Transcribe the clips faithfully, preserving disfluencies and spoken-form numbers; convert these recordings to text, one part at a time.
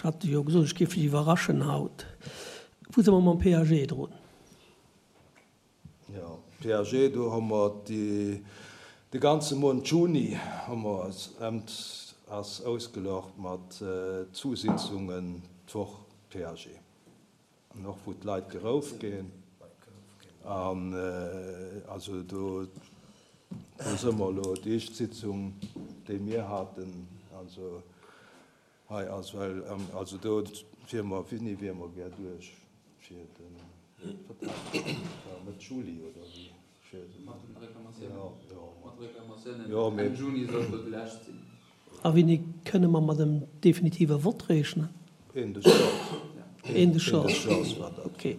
hat jo gesot, ech géif lech iwwerraschen haut. Wou si mer mam P A G drun? Jo, P A G, do hu mer déi, de ganze Mount Juni hu mer emt ass ausgelocht mat zwou Sitzungen d'Woch P A G. An och wou d'Leit gerouf ginn. An also do do si mer elo déi éischt Sitzung, déi mir haten, also hei ass well also do wier mer, wéini wier mer gär duerch fir de Vertrag? Mëtt Juli oder wéi? Fir den. Mat den Reklamatiounen. Jo, jo. Mat Reklamatiounen. Jo, mee. Enn Juni sollt do déi lescht sinn. A wéini kënne mer mat em definitive Vott rechnen? Een des Jahres. Een des Een des Jahres. Jahres war dat. Okay.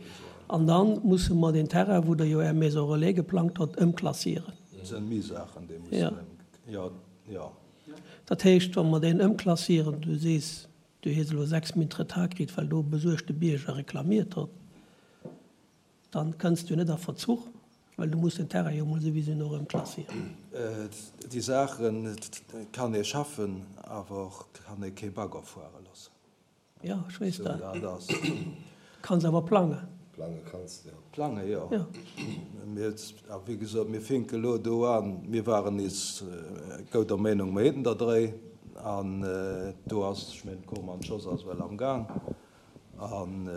An dann musse mer den Terrain, wou Der jo Är Maison relais geplangt hutt, ëmklassieren. Dat sinn méi Saachen, déi Ja. mussen ëm, jo, jo. Dat heescht, wa mer deen ëmklassieren, du sees, du hues elo sechs Minutte Retard kritt, well do e besuergte Bierger reklamiert huet, dann kënns du net a Verzuch, well du muss den Terrain jo emol souwisou nach ëmklassieren. Déi Saachen kann ee schaffen, awer och kann ee kee Bagger fuere loossen. Jo, ech weess Sou, dat. dat ass. Du kanns awer plangen. Plange kanns de, jo. Plange, jo. Jo. Mir, a wéi gesot, mir finke elo do an. Mir waren nees gouder Meenung, mer hätten der dréi. An do ass, ech mengen, d'Komm an d'Schoss ass well am Gang. An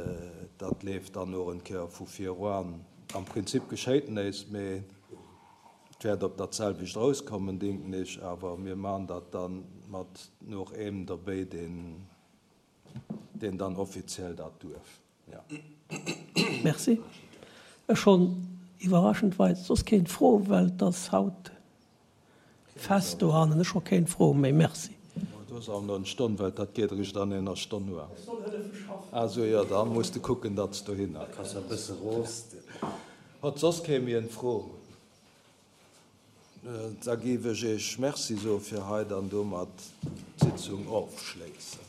dat leeft dann och en Kéier vu viruan. Am Prinzip geschéit näischt, mee et wäert op dat selwecht rauskommen, denken ech. Awer mir maachen dat dann mat noch eem derbäi, deen, deen dann offiziell dat duerf. Ja. Merci. Ech hunn iwwerraschendweis soss keen Fro, well et ass haut Fest dohannen. Ech hu keen Fro méi. Merci. Du hues awer nach eng Stonn, well dat geet eréischt an enger Stonn un. Ech soll hëllefe schaffen. Ah sou, jo, da muss de kucken, datt s dohinner Kanns kënns. e bësse rosten. Hott soss kee méi eng Fro? Da géif ech Iech Merci soe fir hei an domat d'Sitzung ofschléissen.